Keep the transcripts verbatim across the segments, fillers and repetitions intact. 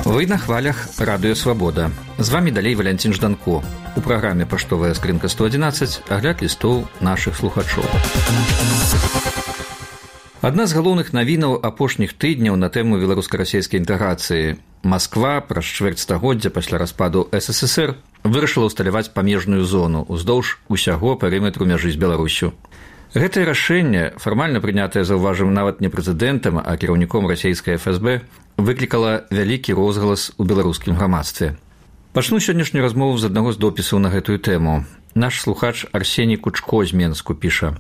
Вы на хвалях Радыё Свабода. З вами далей Валянцін Жданко. У праграме «Паштовая скрынка сто адзінаццаць» агляд лістоў нашых слухачоў. Адна з галоўных навінаў апошніх тыдняў на тэму беларуска-расейскай інтэграцыі. Масква праз чвэрць стагоддзя пасля распаду эс эс эс эр вырашыла ўсталяваць памежную зону ўздоўж усяго перыметру мяжы з Беларусю. Гэтае рашэнне, фармальна прынятае, заўважым, нават не прэзідэнтам, а кіраўніком расейскай эф эс бэ, выклікала вялікі розгалас у беларускім грамадстве. Пачну сённяшнюю размову з аднаго з допісаў на гэтую тэму. Наш слухач Арсеній Кучко з Менску піша: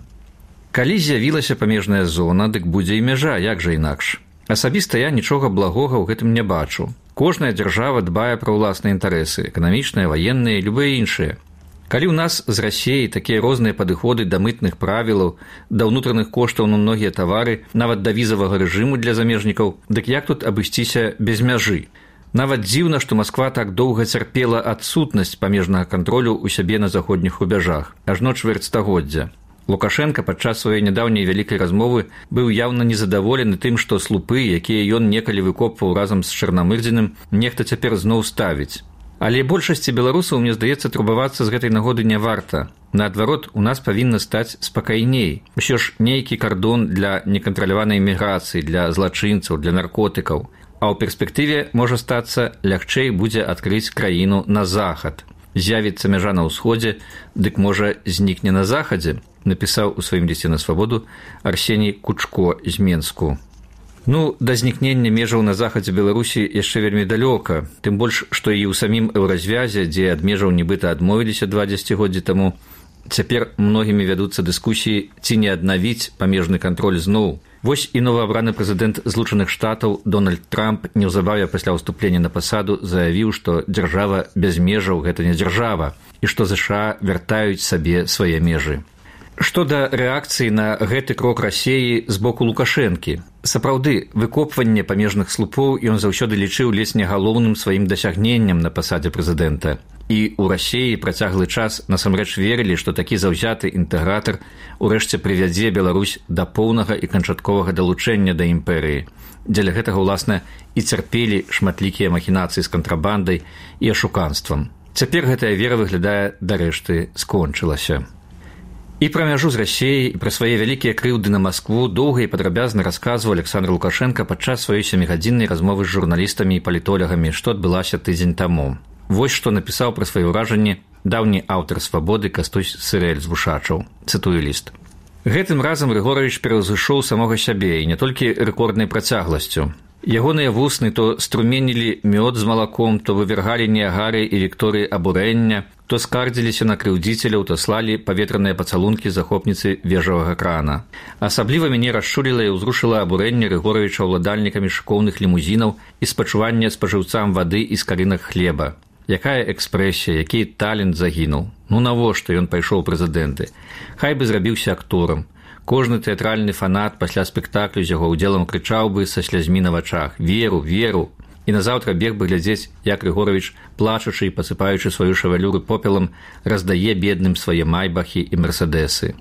«Калі з'явілася памежная зона, дык будзе і мяжа, як жа інакш. Асабіста я нічога благога ў гэтым не бачу. Кожная дзяржава дбае пра ўласныя інтарэсы, эканамічныя, ваенныя і любыя іншыя. Калі ў нас з Расіяй такія розныя падыходы да мытных правілаў, да ўнутраных коштаў на многія тавары, нават да візавага рэжыму для замежнікаў, дык як тут абысціся без мяжы? Нават дзіўна, што Масква так доўга цярпела адсутнасць памежнага кантролю ў сябе на заходніх рубяжах, ажно чвэрць стагоддзя. Лукашенка падчас сваёй нядаўняй вялікай размовы быў яўна незадаволены тым, што слупы, якія ён некалі выкопваў разам з Чарнамырдзіным, нехта цяпер зноў ставіць. Але большасці беларусаў, мне здаецца, турбавацца з гэтай нагоды не варта. Наадварот, у нас павінна стаць спакайней. Усё ж нейкі кардон для некантраляванай міграцыі, для злачынцаў, для наркотыкаў. А ў перспектыве можа стацца, лягчэй будзе адкрыць краіну на захад. З'явіцца мяжа на ўсходзе, дык можа знікне на захадзе, напісаў у сваім лісце на свабоду Арсеній Кучко з Менску. Ну, да знікнення межаў на захадзе Беларусі яшчэ вельмі далёка, тым больш, што і ў самім еўразвязе, дзе ад межаў нібыта адмовіліся два дзесяцігоддзі таму, цяпер многімі вядуцца дыскусіі, ці не аднавіць памежны кантроль зноў. Вось і новаабраны прэзідэнт Злучаных Штатаў Дональд Трамп неўзабаве пасля ўступлення на пасаду заявіў, што дзяржава без межаў – гэта не дзяржава, і што ЗША вяртаюць сабе свае межы. Што да рэакцыі на гэты крок Расіі з боку Лукашэнкі. Сапраўды, выкопванне памежных слупоў ён заўсёды лічыў ледзь не галоўным сваім дасягненнем на пасадзе прэзідэнта. І ў Расіі працяглы час насамрэч верылі, што такі заўзяты інтэгратар урэшце прывядзе Беларусь да поўнага і канчатковага далучэння да імперыі. Дзеля гэтага, уласна, і цярпелі шматлікія махінацыі з кантрабандай і ашуканствам. Цяпер гэтая вера выглядае, дарэшты, скончылася. І пра мяжу з Расіяй, і пра свае вялікія крыўды на Маскву доўга і падрабязна расказваў Александр Лукашенка падчас сваёй сямігадзіннай размовы з журналістамі і палітолягамі, што адбылася тыдзень таму. Вось што напісаў пра свае ўражанні даўні аўтар «Свабоды» Кастусь Сырэль з Вушачаў. Цытую ліст. Гэтым разам Рыгоровіч пераўзышоў самога сябе, і не толькі рэкорднай працягласцю. Ягоныя вусны то струменілі мёд з малаком, то вывергалі Ніагары і Вікторыі абурэння, то скардзіліся на крыўдзіцеляў, то слалі паветраныя пацалункі захопніцы вежавага крана. Асабліва мяне расчуліла і ўзрушыла абурэнне Рыгоровіча ўладальнікамі шыкоўных лімузінаў і спачуванне спажыўцам вады і скарынак хлеба. Якая экспрэсія, які талент загінуў. Ну навошта ён пайшоў прэзідэнты? Хай бы зрабіўся акторам. Кожны тэатральны фанат пасля спектаклю з яго ўдзелам крычаў бы са слязьмі на вачах: «Веру, веру!» І назаўтра бег бы глядзець, як Рыгоровіч, плачучы і пасыпаючы сваю шавалюру попелам, раздае бедным свае майбахі і мерседесы.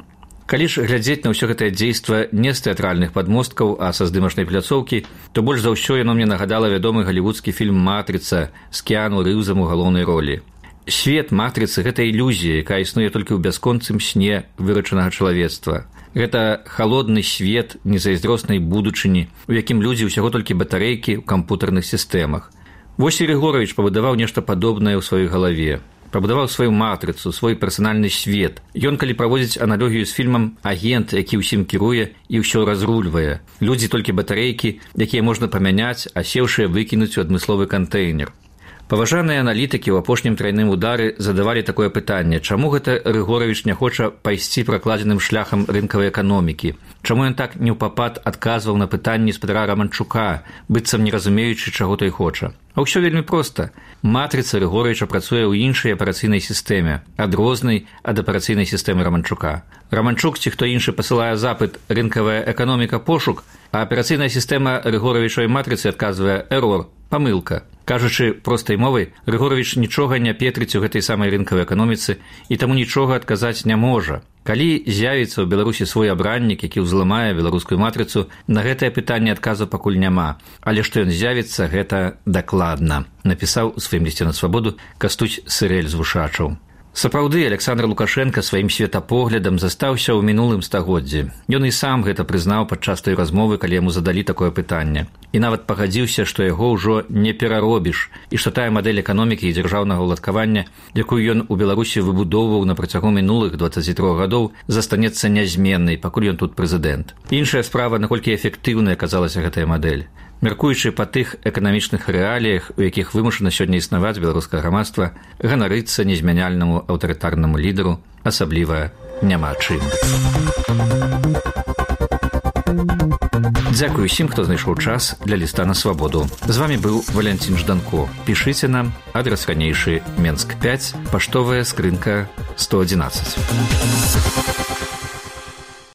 Калі ж глядзець на ўсё гэтае дзейства не з тэатральных падмосткаў, а са здымачнай пляцоўкі, то больш за ўсё яно мне нагадала вядомы галівудскі фільм «Матрыца» з Кіану Рыўзам у галоўнай ролі. Свет матрыцы – гэта ілюзія, якая існуе толькі ў бясконцым сне вырачанага чалавецтва. Гэта халодны свет незайздроснай будучыні, у якім людзі ўсяго толькі батарэйкі ў кампутарных сістэмах. Вось і Рыгоровіч пабудаваў нешта падобнае ў сваёй галаве. Пабудаваў сваю матрыцу, свой персанальны свет. Ён, калі праводзіць аналогію з фільмам, агент, які ўсім кіруе і ўсё разрульвае. Людзі толькі батарэйкі, якія можна памяняць, а сеўшыя выкінуць у адмысловы кантэйнер. Паважаныя аналітыкі ў апошнім трайным удары задавалі такое пытанне: чаму гэта Рыгоровіч не хоча пайсці пракладзеным шляхам рынкавай эканомікі? Чаму ён так неўпапад адказваў на пытанні спадара Раманчука, быццам не разумеючы, чаго той хоча? А ўсё вельмі проста. Матрыца Рыгоровіча працуе ў іншай апарацыйнай сістэме, адрознай ад апарацыйнай сістэмы Раманчука. Раманчук ці хто іншы пасылае запыт «рынкавая эканоміка пошук», а аперацыйная сістэма Рыгоровічавай матрыцы адказвае «эрор», «памылка». Кажучы простай мовай, Грыгоровіч нічога не петрыць у гэтай самай рынкавай эканоміцы і таму нічога адказаць не можа. Калі з'явіцца ў Беларусі свой абраннік, які ўзламае беларускую матрыцу, на гэтае пытанне адказу пакуль няма. Але што ён з'явіцца, гэта дакладна, напісаў у сваім лісце на свабоду Кастуць Сырэль з Вушачаў. Сапраўды, Александр Лукашенко сваім светапоглядам застаўся ў мінулым стагоддзі. Ён і сам гэта прызнаў падчас той размовы, калі яму задалі такое пытанне. І нават пагадзіўся, што яго ўжо не пераробіш, і што тая мадэль эканомікі і дзяржаўнага ўладкавання, якую ён у Беларусі выбудоўваў на працягу мінулых дваццаці трох гадоў, застанецца нязменнай, пакуль ён тут прэзідэнт. Іншая справа, наколькі эфектыўнай аказалася гэтая мадэль. Мяркуючы па тых эканамічных рэаліях, у якіх вымушана сёння існаваць беларускае грамадства, ганарыцца незмяняльнаму аўтарытарнаму лідару асабліва няма чым. Дзякую усім, хто знайшоў час для ліста на свабоду. З вамі быў Валянцін Жданко. Пішыце нам, адрас ранейшы Менск пяць, паштовая скрынка сто адзінаццаць.